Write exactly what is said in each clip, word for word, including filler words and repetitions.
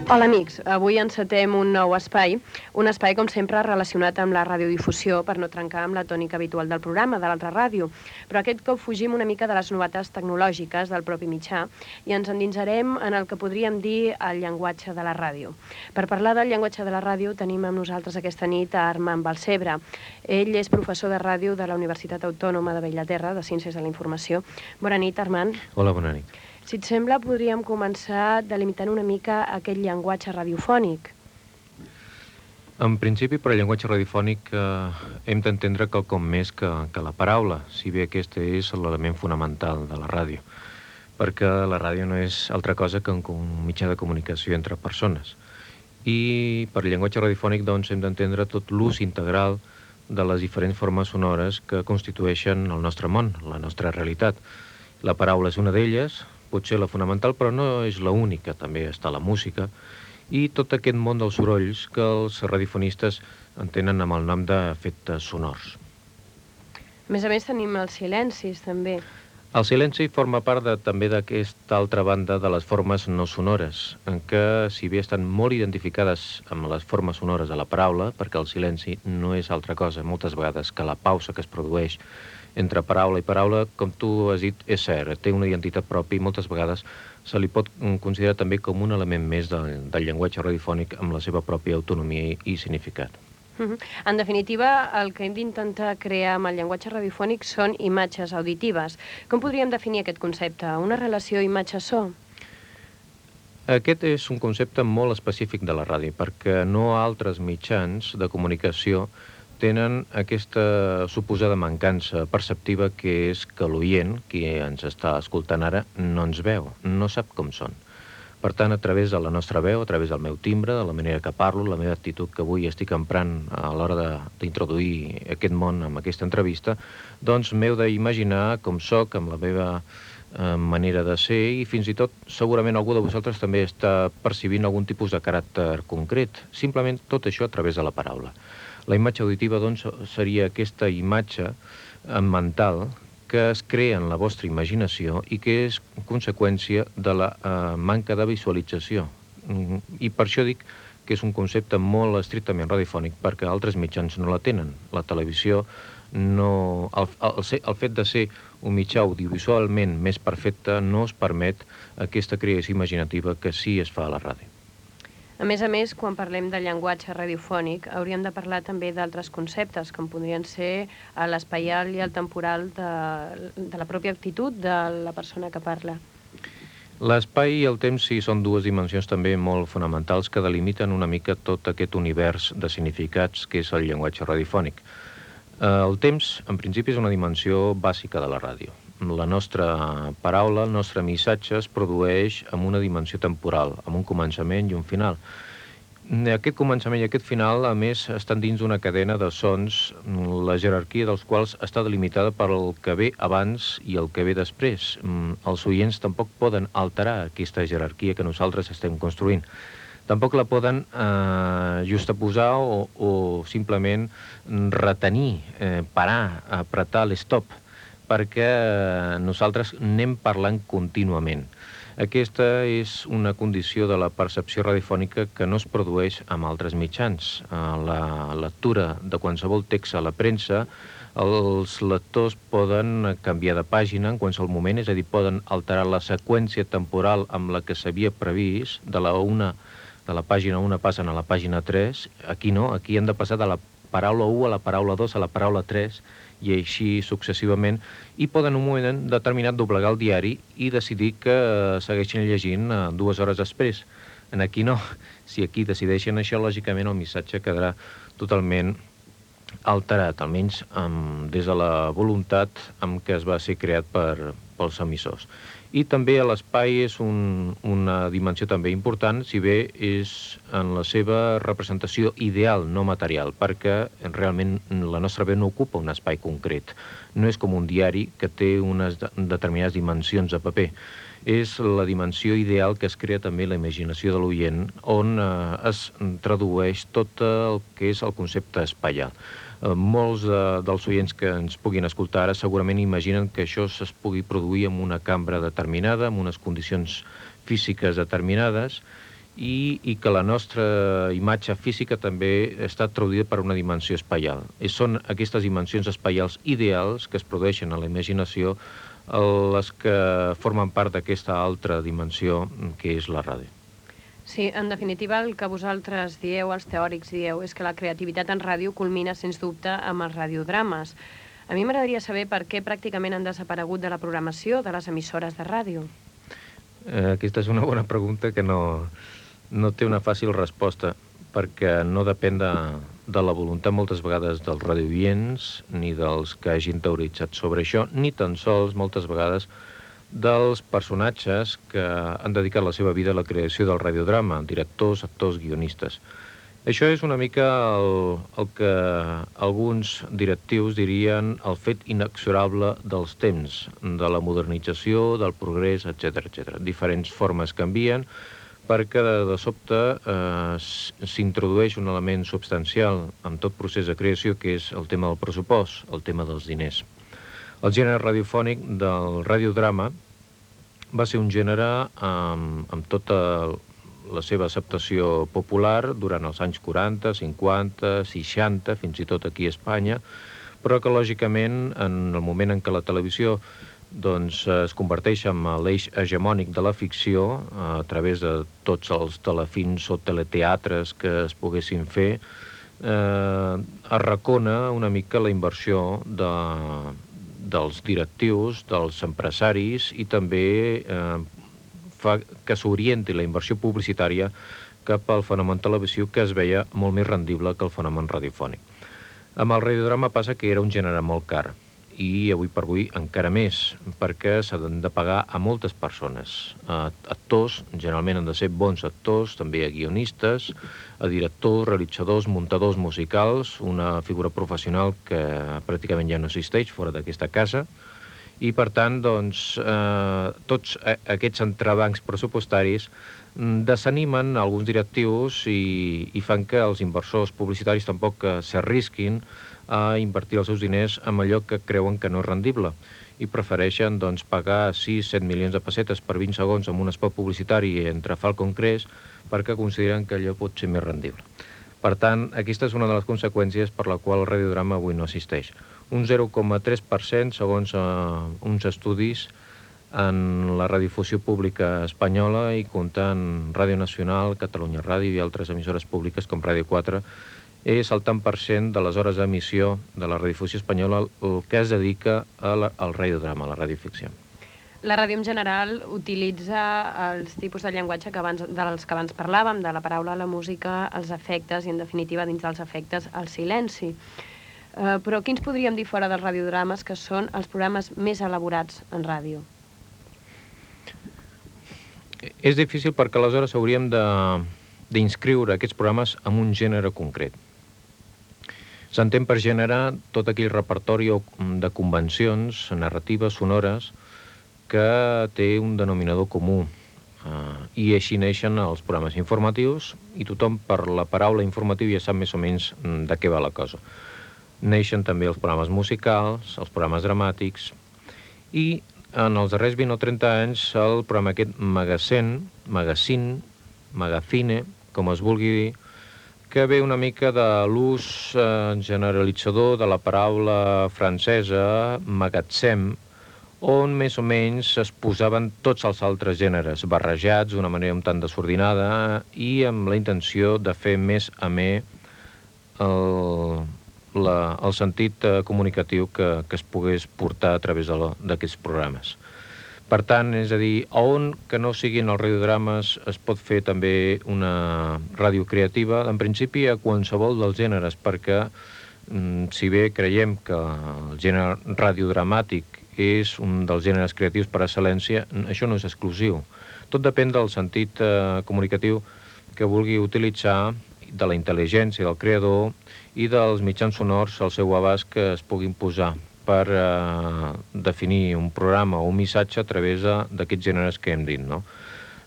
Hola amics, avui encetem un nou espai, un espai com sempre relacionat amb la radiodifusió per no trencar amb la tònica habitual del programa, de l'altra ràdio, però aquest cop fugim una mica de les novetats tecnològiques del propi mitjà i ens endinsarem en el que podríem dir el llenguatge de la ràdio. Per parlar del llenguatge de la ràdio tenim amb nosaltres aquesta nit a Armand Balcebre. Ell és professor de ràdio de la Universitat Autònoma de Bellaterra, de Ciències de la Informació. Bona nit, Armand. Hola, bona nit. Si et sembla, podríem començar delimitant una mica aquest llenguatge radiofònic. En principi, per al llenguatge radiofònic eh, hem d'entendre quelcom més que, que la paraula, si bé aquest és l'element fonamental de la ràdio, perquè la ràdio no és altra cosa que un mitjà de comunicació entre persones. I per al llenguatge radiofònic doncs, hem d'entendre tot l'ús integral de les diferents formes sonores que constitueixen el nostre món, la nostra realitat. La paraula és una d'elles, potser la fonamental, però no és l'única, també està la música, i tot aquest món dels sorolls que els radiofonistes entenen amb el nom d'efectes sonors. A més a més tenim els silencis, també. El silenci forma part de, també d'aquesta altra banda de les formes no sonores, en què, si bé estan molt identificades amb les formes sonores de la paraula, perquè el silenci no és altra cosa, moltes vegades, que la pausa que es produeix entre paraula i paraula, com tu has dit, és cert, té una identitat pròpia i moltes vegades se li pot considerar també com un element més del, del llenguatge radiofònic amb la seva pròpia autonomia i, i significat. Uh-huh. En definitiva, el que hem d'intentar crear amb el llenguatge radiofònic són imatges auditives. Com podríem definir aquest concepte? Una relació imatge-so? Aquest és un concepte molt específic de la ràdio, perquè no altres mitjans de comunicació tenen aquesta suposada mancança perceptiva que és que l'oient, qui ens està escoltant ara, no ens veu, no sap com són. Per tant, a través de la nostra veu, a través del meu timbre, de la manera que parlo, la meva actitud que avui estic emprant a l'hora d'introduir aquest món amb aquesta entrevista, doncs m'heu d'imaginar com soc, amb la meva eh, manera de ser, i fins i tot segurament algú de vosaltres també està percibint algun tipus de caràcter concret, simplement tot això a través de la paraula. La imatge auditiva, doncs, seria aquesta imatge mental que es crea en la vostra imaginació i que és conseqüència de la eh, manca de visualització. I per això dic que és un concepte molt estrictament radiofònic, perquè altres mitjans no la tenen. La televisió, no, el, el, el fet de ser un mitjà audiovisualment més perfecte no es permet aquesta creació imaginativa que sí es fa a la ràdio. A més a més, quan parlem de llenguatge radiofònic, hauríem de parlar també d'altres conceptes, com podrien ser l'espaial i el temporal de, de la pròpia actitud de la persona que parla. L'espai i el temps sí són dues dimensions també molt fonamentals que delimiten una mica tot aquest univers de significats que és el llenguatge radiofònic. El temps, en principi, és una dimensió bàsica de la ràdio. La nostra paraula, el nostre missatge es produeix amb una dimensió temporal, amb un començament i un final. Aquest començament i aquest final, a més, estan dins d'una cadena de sons, la jerarquia dels quals està delimitada per el que ve abans i el que ve després. Els oients tampoc poden alterar aquesta jerarquia que nosaltres estem construint. Tampoc la poden eh, justaposar o, o simplement retenir, eh, parar, apretar l'stop, perquè nosaltres anem parlant contínuament. Aquesta és una condició de la percepció radiofònica que no es produeix amb altres mitjans. La lectura de qualsevol text a la premsa, els lectors poden canviar de pàgina en qualsevol moment, és a dir, poden alterar la seqüència temporal amb la que s'havia previst, de la, una, de la pàgina una passen a la pàgina tres, aquí no, aquí han de passar de la paraula u a la paraula dos a la paraula tres, i així successivament, i poden en un moment determinat doblegar el diari i decidir que segueixin llegint dues hores després. En aquí no. Si aquí decideixen això, lògicament el missatge quedarà totalment alterat, almenys amb, des de la voluntat amb què es va ser creat per, pels emissors. I també l'espai és un, una dimensió també important, si bé és en la seva representació ideal, no material, perquè realment la nostra veu no ocupa un espai concret. No és com un diari que té unes determinades dimensions de paper. És la dimensió ideal que es crea també la imaginació de l'oient, on eh, es tradueix tot el que és el concepte espaial. Molts de, dels oients que ens puguin escoltar ara segurament imaginen que això es pugui produir en una cambra determinada, en unes condicions físiques determinades, i, i que la nostra imatge física també està traduïda per una dimensió espaial. I són aquestes dimensions espaials ideals que es produeixen a la imaginació les que formen part d'aquesta altra dimensió que és la ràdio. Sí, en definitiva, el que vosaltres dieu, els teòrics dieu, és que la creativitat en ràdio culmina, sens dubte, amb els radiodrames. A mi m'agradaria saber per què pràcticament han desaparegut de la programació de les emissores de ràdio. Eh, aquesta és una bona pregunta que no, no té una fàcil resposta, perquè no depèn de, de la voluntat moltes vegades dels radioients, ni dels que hagin teoritzat sobre això, ni tan sols moltes vegades dels personatges que han dedicat la seva vida a la creació del radiodrama, directors, actors, guionistes. Això és una mica el, el que alguns directius dirien el fet inexorable dels temps, de la modernització, del progrés, etcètera, etcètera. Diferents formes canvien perquè de, de sobte eh, s'introdueix un element substancial en tot procés de creació, que és el tema del pressupost, el tema dels diners. El gènere radiofònic del radiodrama va ser un gènere amb, amb tota la seva acceptació popular durant els anys quaranta, cinquanta, seixanta, fins i tot aquí a Espanya, però que, lògicament, en el moment en què la televisió doncs, es converteix en l'eix hegemònic de la ficció, a través de tots els telefilms o teleteatres que es poguessin fer, eh, arracona una mica la inversió de, dels directius, dels empresaris, i també eh, fa que s'orienti la inversió publicitària cap al fenomen televisiu, que es veia molt més rendible que el fenomen radiofònic. Amb el radiodrama passa que era un gènere molt car, i avui per avui encara més, perquè s'han de pagar a moltes persones. A actors, generalment han de ser bons actors, també a guionistes, a directors, realitzadors, muntadors musicals, una figura professional que pràcticament ja no existeix fora d'aquesta casa, i per tant, doncs, eh, tots aquests entrebancs pressupostaris desanimen alguns directius i, i fan que els inversors publicitaris tampoc s'arrisquin a invertir els seus diners en allò que creuen que no és rendible, i prefereixen doncs, pagar sis set milions de pessetes per vint segons amb un spot publicitari entre Falcon Crest, perquè consideren que allò pot ser més rendible. Per tant, aquesta és una de les conseqüències per la qual el radiodrama avui no existeix. Un zero coma tres per cent, segons eh, uns estudis, en la radiodifusió pública espanyola, i comptant Ràdio Nacional, Catalunya Ràdio i altres emissores públiques com Ràdio quatre, és el tant per cent de les hores d'emissió de la radiodifusió espanyola el que es dedica a la, al radiodrama, a la radioficció. La ràdio en general utilitza els tipus de llenguatge que abans, dels que abans parlàvem, de la paraula, la música, els efectes i, en definitiva, dins dels efectes, el silenci. Uh, però quins podríem dir fora dels radiodrames que són els programes més elaborats en ràdio? És difícil perquè aleshores hauríem d'inscriure aquests programes en un gènere concret. S'entén per gènere tot aquell repertori de convencions narratives, sonores, que té un denominador comú. Uh, I així neixen els programes informatius, i tothom per la paraula informatiu ja sap més o menys de què va la cosa. Neixen també els programes musicals, els programes dramàtics, i en els darrers vint o trenta anys el programa aquest Magazine, Magazine, Magazine, com es vulgui dir, que ve una mica de l'ús eh, generalitzador de la paraula francesa magatzem, on més o menys es posaven tots els altres gèneres, barrejats d'una manera un tant desordinada, i amb la intenció de fer més amè el, la, el sentit eh, comunicatiu que, que es pogués portar a través d'aquests programes. Per tant, és a dir, on que no siguin els radiodrames es pot fer també una ràdio creativa, en principi a qualsevol dels gèneres, perquè si bé creiem que el gènere radiodramàtic és un dels gèneres creatius per excel·lència, això no és exclusiu. Tot depèn del sentit eh, comunicatiu que vulgui utilitzar, de la intel·ligència del creador i dels mitjans sonors al seu abast que es puguin posar per eh, definir un programa o un missatge a través d'aquests gèneres que hem dit, no?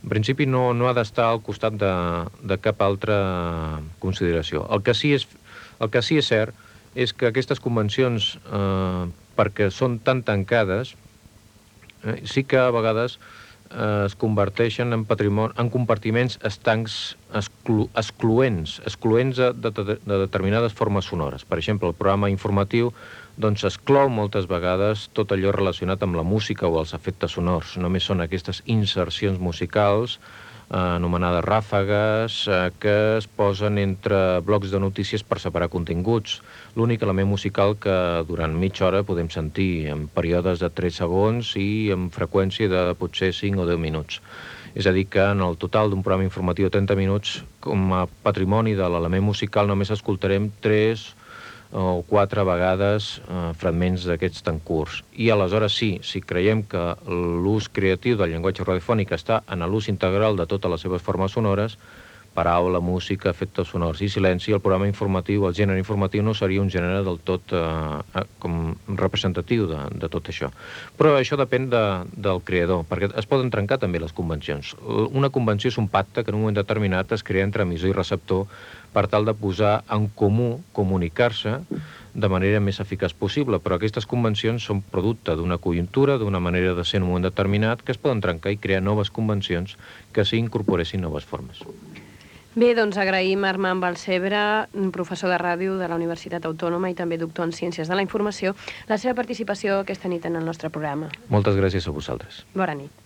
En principi no, no ha d'estar al costat de, de cap altra consideració. El que sí és, el que sí és cert és que aquestes convencions, eh, perquè són tan tancades, eh, sí que a vegades es converteixen en, patrimoni, en compartiments estancs exclu, excloents, excloents de, de, de determinades formes sonores. Per exemple, el programa informatiu doncs, exclou moltes vegades tot allò relacionat amb la música o els efectes sonors. Només són aquestes insercions musicals eh, anomenades ràfegues eh, que es posen entre blocs de notícies per separar continguts. L'únic element musical que durant mitja hora podem sentir en períodes de tres segons i amb freqüència de potser cinc o deu minuts. És a dir, que en el total d'un programa informatiu de trenta minuts, com a patrimoni de l'element musical, només escoltarem tres o quatre vegades eh, fragments d'aquests tan curts. I aleshores sí, si creiem que l'ús creatiu del llenguatge radiofònic està en l'ús integral de totes les seves formes sonores, paraula, música, efectes sonors i silenci, el programa informatiu, el gènere informatiu no seria un gènere del tot eh, com representatiu de, de tot això. Però això depèn de, del creador, perquè es poden trencar també les convencions. Una convenció és un pacte que en un moment determinat es crea entre emissor i receptor per tal de posar en comú, comunicar-se de manera més eficaç possible, però aquestes convencions són producte d'una conjuntura, d'una manera de ser en un moment determinat, que es poden trencar i crear noves convencions que s'hi incorporessin noves formes. Bé, doncs agraïm a Armand Balcebre, professor de ràdio de la Universitat Autònoma i també doctor en Ciències de la Informació, la seva participació aquesta nit en el nostre programa. Moltes gràcies a vosaltres. Bona nit.